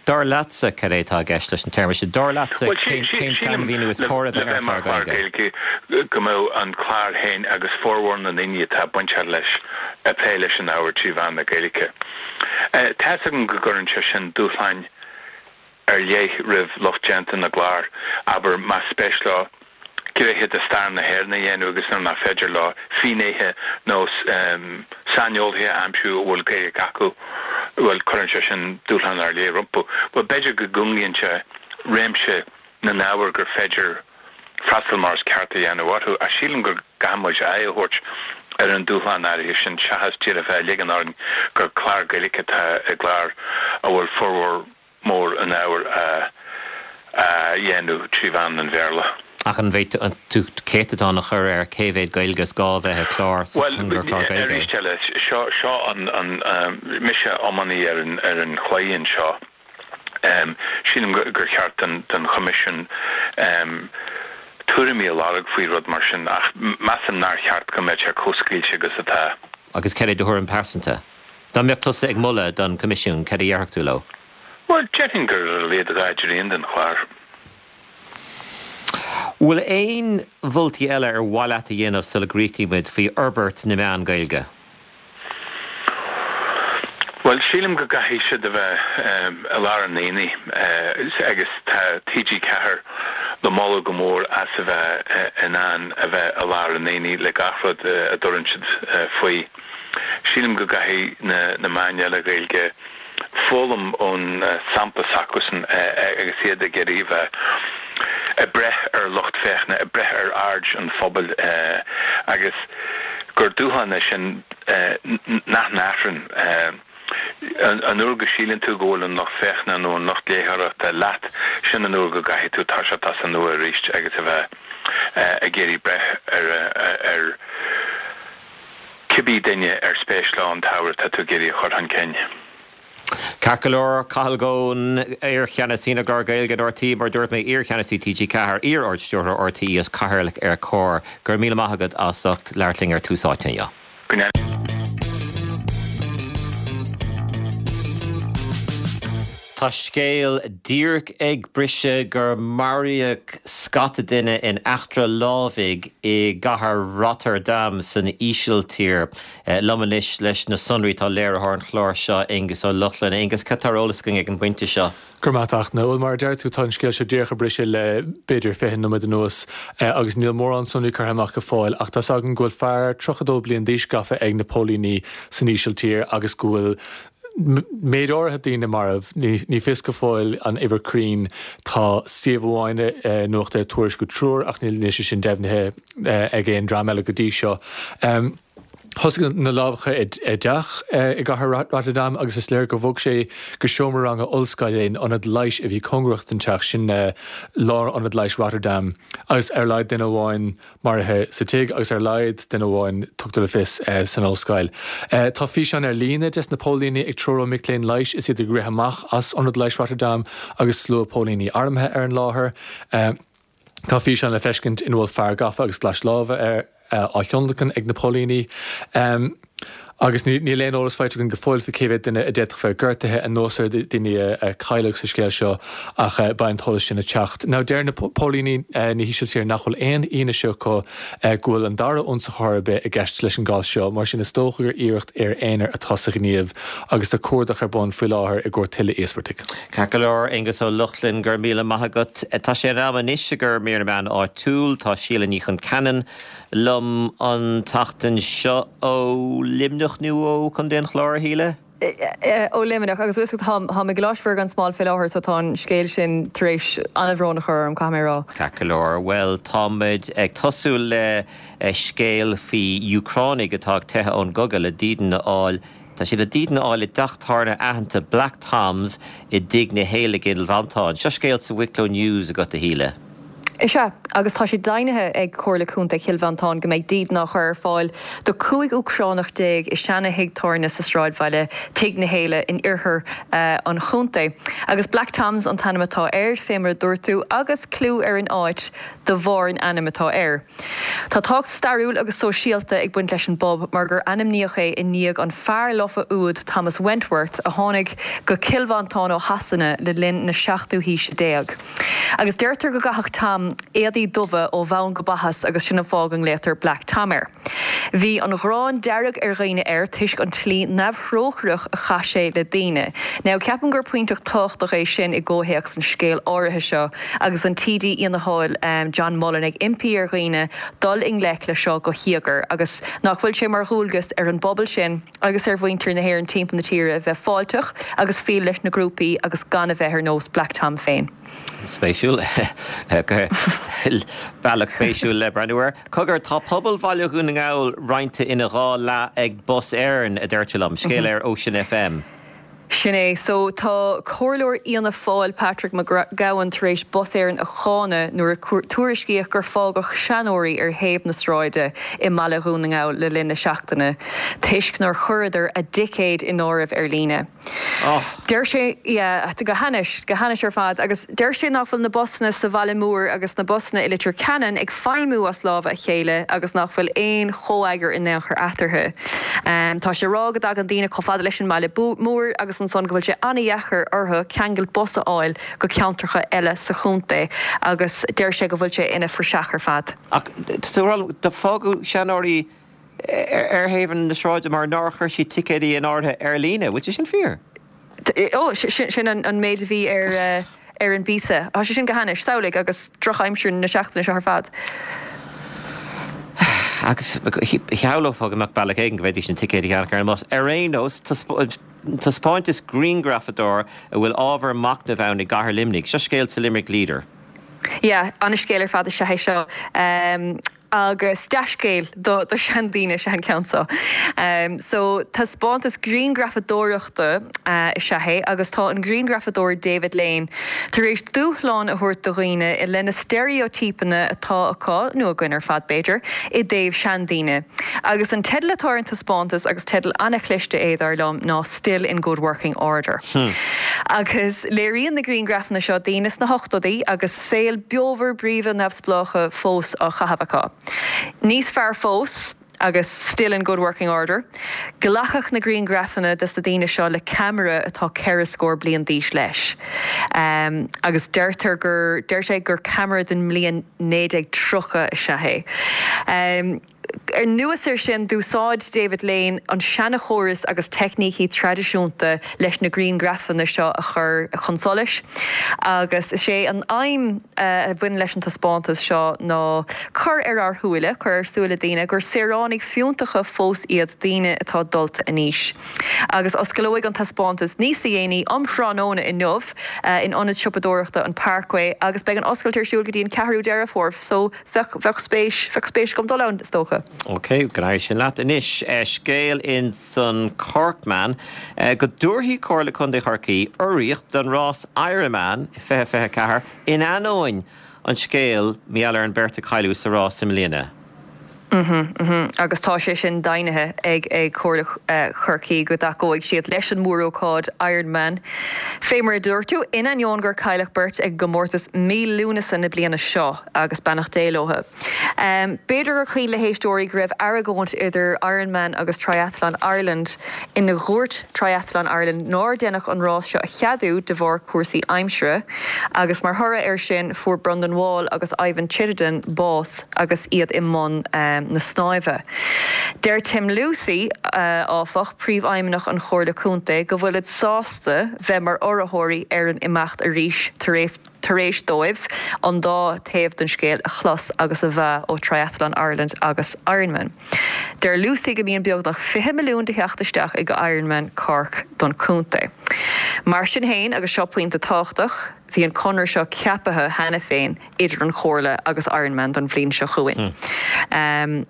Dar leatsa, cad é atá i gceist leis an téarma sin? Dar leatsa, cén sainmhíniú is cóir a bheith ar chlár Gaeilge? Go mbeadh an clár féin agus formhór na ndaoine atá bainteach leis ag plé leis an ábhar trí mheán na Gaeilge. Tá's agam go gcuireann sé sin dúshláin ar leith roimh lucht déanta na gclár, abair, más spéis leo gnéithe de stair na hÉireann a dhéanamh agus nuair nach féidir leo finnéithe nó saineolaithe a aimsiú a bhfuil Gaeilge acu, bhuel, cuireann sé sin dúshlán ar leith rompu. Bhuel, b'fhéidir go gcúngaíonn sé réimse na n-ábhar gur féidir freastal mar is ceart a dhéanamh orthu, ach sílim go gcaithfidh muid aghaidh a thabhairt ar an dúshlán áirithe sin seachas díreach bheith ag ligean orainn gur clár Gaeilge atá i gclár a bhfuil formhór mór an ábhair á dhéanamh trí mheán an Bhéarla. Ach an bhféadfá tú céatadán a chur ar cé mhéad Gaeilge is gá a bheith i gclár sa gur clár Bhuel, Gaeilge é? arís eile, seo, seo an, an, mise iománaí ar an, ar an chlaí anseo. Sílim gur cheart don, don Choimisiún tuairimí a lorg faoi rud mar sin ach measaim nár cheart go mbeadh sé chomh scaoilte agus atá. Agus cad é do thuairim pearsanta? Dá mbeadh tusa ag moladh don Choimisiún, cad a dhéarfadh tú leo? Bhuel, déarfainn gur ar a laghad 2 dtrian den chlár. Bhfuil aon mholtaí eile ar mhaith leat a dhéanamh sula gcríochnaímid faoi fhorbairt na meán Gaeilge? Bhuel, sílim go gcaithfidh siad a bheith i lár an aonaigh agus tá TG4 le moladh go mór as a bheith in ann a bheith i lár an aonaigh le gach rud a dtabhrann siad faoi. Sílim go gcaithfidh na meáin eile Ghaeilge foghlaim ón sampla s'acusan agus iad ag iarraidh a bheith ag breith ar lucht féachana, ag breith ar aird an phobail agus gur dúshlán é sin nach n-athraíonn. An uair go síleann tú go bhfuil an lucht féachana nó an lucht léitheoireachta leat, sin an uair go gcaithfidh tú toiseacht as an nua arís agus a bheith ag iarraidh breith ar cibé duine ar spéis leo an t-ábhar atá tú ag iarraidh a chur chun cinn. Ceart go leor, Cathal Goan, iar-cheannasaí na gclár Gaeilge in RTÉ, mar a dúirt mé, iar-cheannasaí TG4, iar-Ard-Stiúrthóir RTÉ is Cathaoirleach ar Comhar. Go raibh míle maith agat as ucht labhairt linn ar Tús Áite inniu. Go ndéana. Tá scéal díreach ag briseadh gur maraíodh scata duine in eachtra lámhaigh i gcathair Rotterdam san Ísiltír. Liom anois leis na sonraí tá léiritheoir an chláir seo, Aonghus Ó Lochlainn. Aonghus, cad tá ar eolas againn ag an bpointe seo? Go raibh maith agat, a Fhachtna. Bhuel, mar a deir tú, tá an scéal seo díreach ag briseadh le b'fhéidir 20 nóiméad anuas agus níl mórán sonraí curtha amach go fóill ach tá's againn go bhfuil fear 32 bliain d'aois gafa ag na póilíní san Ísiltír agus go bhfuil méid áirithe daoine marbh. Ní fios go fóill an uimhir cruinn. Tá suíomh amháin nuachta ag tuairisciú triúr ach níl sé sin deimhnithe ag aon dream eile go dtí seo. Thosaigh na lámhacha i dteach i gcathair Rotterdam agus is léir gur bhog sé go seomra ranga ollscoile in ionad leighis a bhí cóngarach don teach, sin Lárionad Leighis Rotterdam, agus ar a laghad duine amháin maraithe sa tigh agus ar a laghad duine amháin, tugtar le fios, san ollscoil. Tá físeán ar líne des na póilíní ag treorú mic léinn leighis is iad ag rith amach as Ionad Leighis Rotterdam agus slua póilíní armtha ar an láthair. Tá físeán le feiscint ina bhfuil fear gafa agus glais láimhe air á thionlacan ag na póilíní. Agus níl aon eolas faighte againn go fóill faoi cé mhéad duine a d'fhéadfadh bheith gortaithe anuas ar daoine a cailleadh sa scéal seo ach beidh an t-eolas sin ag teacht. Now deir na póilíní na hÍsiltíre nach bhfuil aon fhianaise acu go bhfuil an dara hionsaitheoir ar bith i gceist leis an gcás seo, mar sin is dócha gur iarracht fhir aonair atá sa ghníomh agus tá cuardach ar bun faoi láthair i gcomhair tuilleadh íospartaigh. Ceart go leor, Aonghus Ó Lochlainn, go raibh míle maith agat. Tá sé in am anois i gcomhair mír na meán áitiúil. Tá Síle Ní Chonceanainn liom an tseachtain seo ó Luimneach nó ó Chontae an Chláir, a Shíle? Ó Luimneach, agus bhfuil a fhios agat, táim i gColáiste Mhuire gan Smál fé láthair so tá an scéal sin tar éis an-bhrón a chur orm, caithfidh mé a rá. Ceart go leor, bhuel, táimid ag tosú le scéal faoi Úcránaigh atá ag teitheadh ón gcogadh le dídean a fháil Tá siad le dídean a fháil i dteach tábhairne aitheanta Black Tom's i dTigh na hÉille i gCill Mhantáin. Seo scéal sa Wicklow News agat, a Shíle. Is ea, agus tá sé deimhnithe ag Comhairle Contae Chill Mhantáin go mbeidh dídean á chur ar fáil do 15 Úcránach i seana-thigh tábhairne sa sráidbhaile, Tigh na hÉille, in oirthear an chontae. Agus Black Tom's an t-ainm atá air, fé mar a dúirt tú, agus clú ar an áit de bharr an ainm atá air. Tá tábhacht stairiúil agus sóisialta ag baint leis an bpub mar gur ainmníodh é i ndiaidh an fear lofa úd Thomas Wentworth a tháinig go Cill Mhantáin ó Shasana le linn na seachtú haoise déag. Agus deirtear go gcaitheadh Tom éadaí dubha ó bhonn go baithis agus sin an fáth go nglaotar Black Tom air. Bhí an ghráin dearg ar dhaoine air toisc an tslí neamhthrócaireach a chaith sé le daoine. Now, ceapaim gur pointe tábhachtach é sin i gcomhthéacs an scéil áirithe seo agus an TD Fhianna Fáil John Mullin ag impí ar dhaoine dul i ngleic le seo go híogair agus nach bhfuil sé mar dhualgas ar an bpobal sin agus ar mhuintir na hÉireann timpeall na tíre bheith fáilteach agus fial leis na grúpaí agus gan a bheith ar nós Black Tom féin. Spéisiúil. Bealach spéisiúil le breathnú air. Cogar, tá pobal Bhaile Dhún na nGall roinnte ina dhá leath ag Bus Éireann, a deir tú liom. Scéal ar Ocean FM. Sin é. So, tá Comhairleoir Fhianna Fáil, Patrick Mac Gabhann, tar éis Bus Éireann a cháineadh nuair a tuairiscíodh gur fágadh seanóirí ar thaobh na sráide i mBaile Dhún na nGall le linn na seachtaine toisc nár chuireadar a dticéid in áirithe ar líne. Deir sé, yeah, go hainnis, go hainnis ar fad, agus deir sé nach bhfuil na busanna sa bhaile mór agus na busanna i Leitir Ceanainn ag feidhmiú as lámha a chéile agus nach bhfuil aon chomheagar in aon chor eatarthu. Tá sé ag rá go dtagann daoine chomh fada leis an mbaile mór agus ansan go bhfuil sé an-dheacair orthu ceangal bus a fháil go ceantracha eile sa chontae agus deir sé go bhfuil sé ina phraiseach ar fad. Ach tá fágadh seanóirí ar thaobh na sráide mar nár chuir siad ticéidí in áirithe ar líne. Bhfuil sé sin fíor? Ó, sin an méid a bhí ar an bpíosa. Tá sé sin go hainnis. Samhlaigh agus drochaimsir na seachtaine seo ar fad. Agus shamhlófá go mbeadh bealach éigin go bhféadfaidís na ticéid a cheannach ar an mbus. Ar aon nós, taispeántas grianghrafadóir a bhfuil ábhar machnaimh ann i gcathair Luimnigh. Seo scéal sa Limerick Leader. Yeah, an-scéal ar fad is ea é seo. Agus dea-scéal do sheandaoine is ea an ceann seo. So, taispeántas grianghrafadóireachta is ea é agus tá an grianghrafadóir David Lane tar éis dúshlán a thabhairt do dhaoine i leith na steiréitípeanna atá acu, nó againn ar fad b'fhéidir, i dtaobh seandaoine. Agus an teideal atá ar an taispeántas, agus teideal an-chliste é dar liom, ná Still in Good Working Order. Agus léiríonn na grianghrafanna seo daoine sna hochtóidí agus saol beomhar bríomhar neamhspleách fós á chaitheamh acu. Níos fearr fós. Agus still in good working order. Glacadh na grianghrafanna des na daoine seo le ceamara atá ceithre scór bliain d'aois leis. Agus deirtear gur, deir sé gur ceamara den mbliain 1930 is ea é. Anuas air sin, d'úsáid David Lane an seanchóras agus teicnící traidisiúnta leis na grianghrafanna seo a chur chun solais agus is é an aidhm a bhaineann leis an taispeántas seo ná cur ar ár súile, cur ar súile daoine, gur saoránaigh fiúntacha fós iad daoine atá dulta in aois. Agus osclóidh an taispeántas níosa dhéanaí um thráthnóna inniu in ionad siopadóireachta an Parkway agus beidh an oscailt ar siúl go dtí an 4ú Deireadh Fómhair so bheadh, bheadh spéis, bheadh spéis agam dul ann, is dócha. Ok, go n-éirí sin leat. Anois, scéal in san Corkman go dtabharfaidh Comhairle Contae Chorcaí urraíocht don rás Ironman 2024 in ainneoin an scéil mar gheall ar an beirt a cailleadh sa rás i mbliana. Mhm, mhm. Agus tá sé sin deimhnithe ag ag Comhairle Chorcaí go dtacóidh siad leis an mórócáid Ironman. Fé mar a dúirt tú, in ainneoin gur cailleadh beirt ag an gcomórtas mí Lúnasa na bliana seo, agus beannacht Dé leo. B'fhéidir gur cuimhin le héisteoirí go raibh argóint idir Ironman agus Triathlon Ireland ina dhúirt Triathlon Ireland nár deineadh an rás seo a cheadú de bharr cúrsaí aimsire agus mar thoradh air sin fuair Brendan Wall agus Ivan Chittenden bás agus iad i mbun na snáimhe. Deir Tim Lucey, áfach, príomhfheidhmeannach an Chomhairle Contae, go bhfuilid sásta bheith mar urraitheoirí ar an imeacht arís tar éis tar éis dóibh an dá taobh den scéal a chlos agus a mheá ó Triathlon Ireland agus Ironman. Deir Lucey go mbíonn beagnach 20 milliún de theacht isteach ag Ironman Cork don chontae. Mar sin féin, agus seo pointe tábhachtach, bhí an conradh seo ceapaithe cheana féin idir an Chomhairle agus Ironman don bhliain seo chugainn.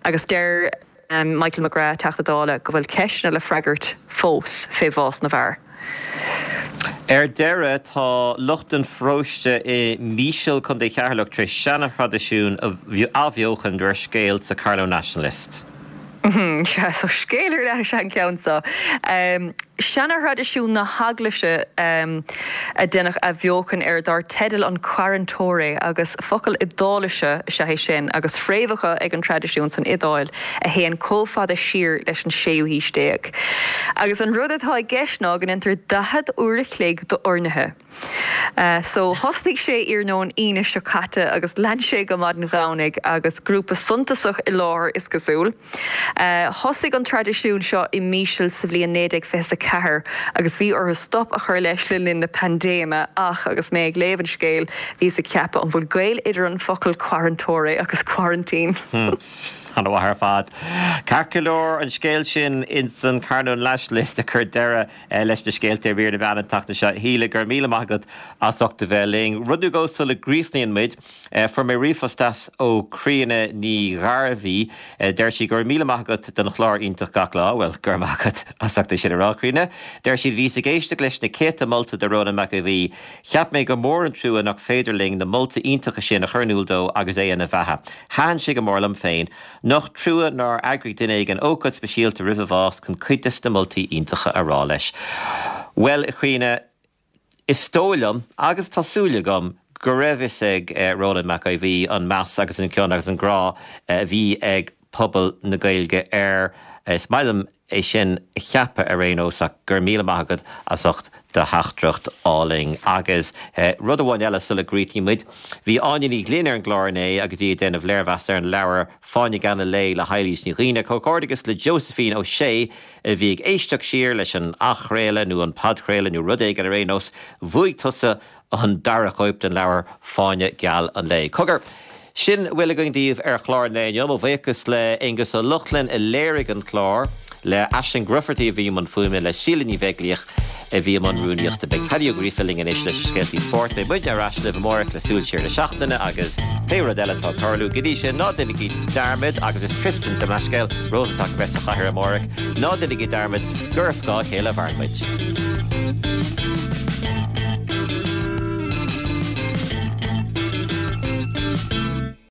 Agus deir. Michael McGrath, Teachta Dála, go bhfuil ceisteanna le freagairt fós fé bhás na bhfear. Ar deireadh, tá lucht an pharóiste i Míseal, Contae Cheatharlach, tar éis seana-thraidisiún a athbheochan de réir scéil sa Carlow Nationalist. Sea, so scéal ar leith is ea an ceann seo. Seana-thraidisiún na hEaglaise a deineadh athbheochan air dar teideal an Quarantore agus focal Iodáilise is ea é sin agus fréamhacha ag an traidisiún san Iodáil a théann chomh fada siar leis an séú haois déag. Agus an rud atá i gceist ná go ndéantar 40 uair a chloig d'urnaithe. So, thosnaigh sé iarnóin Aoine seo caite agus lean sé go maidin Dhomhnaigh agus grúpa suntasach i láthair is cosúil. Thosaigh an traidisiún seo i Míseal sa bhliain 1924 agus bhí orthu stop a chur leis le linn na paindéime ach agus mé ag léamh an scéil bhíos ag ceapadh an bhfuil gaol idir an focal quarantore agus quarantine? An-mhaith ar fad. Ceart go leor, an scéal sin ins an Carlow Nationalist a chuir deireadh leis na scéalta ar mhír na meán an tseachtain seo. A Shíle, go raibh míle maith agat as ucht a bheith linn. Rud nó dhó sula gcríochnaíonn muid, fuair mé ríomhphost deas ó Críona Ní Ghairbhí. Deir sí, go raibh míle maith agat don chlár iontach gach lá. Bhuel, go raibh maith agat as ucht é sin a rá, Críona. Deir sí, bhíos ag éisteacht leis na céadta molta do Rónán Mac Aodha Bhuí. Cheap mé gur mór an trua nach féidir linn na moltaí iontacha sin a chur in iúl dó agus é ina bheatha. Thaitin sé go mór liom féin. Nach trua nár eagraigh duine éigin ócáid speisialta roimh a bhás chun cuid des na moltaí iontacha a rá leis. Bhuel, a Chríona, is dóigh liom, agus tá súil agam, go raibh fhios ag Rónán Mac Aodha Bhuí an meas agus an cion agus an grá a bhí ag pobal na Gaeilge air. Is maith liom é sin a cheapadh ar aon nós ach go raibh míle maith agat as ucht do theachtaireacht álainn. Agus rud amháin eile sula gcríochnaíonn muid, bhí Áine Ní Ghlinn ar an gclár inné agus í ag déanamh léirmheas ar an leabhar Fáinne Geal an Lae le hEilís Ní Dhuibhne. Comhghairdeachas le Josephine O'Shea a bhí ag éisteacht siar leis an athchraoladh nó an podchraoladh nó rud éigin ar aon nós, bhuaigh tusa an dara cóip den leabhar Fáinne Geal an Lae. Cogar, sin a bhfuil againn daoibh ar chlár an lae inniu. Mo bhuíochas le Aonghus Ó Lochlainn a léirigh an clár, le Aisling Grufferty a bhí i mbun fuaime, le Síle Ní Bheaglaoich a bhí i mbun rúnaíochta. Beidh Paddy Ó Gríofa linn anois leis na scéaltaí spóirt. Beidh muidne ar ais libh amárach le súil siar na seachtaine agus pé rud eile atá ag tarlú. Go dtí sin, ná déanaigí dearmad, agus is Tristan, gabh mo leithscéal, Rósatach a bheas sa chathaoir amárach, ná déanaigí dearmad gur ar scáth a chéile a mhaireann muid.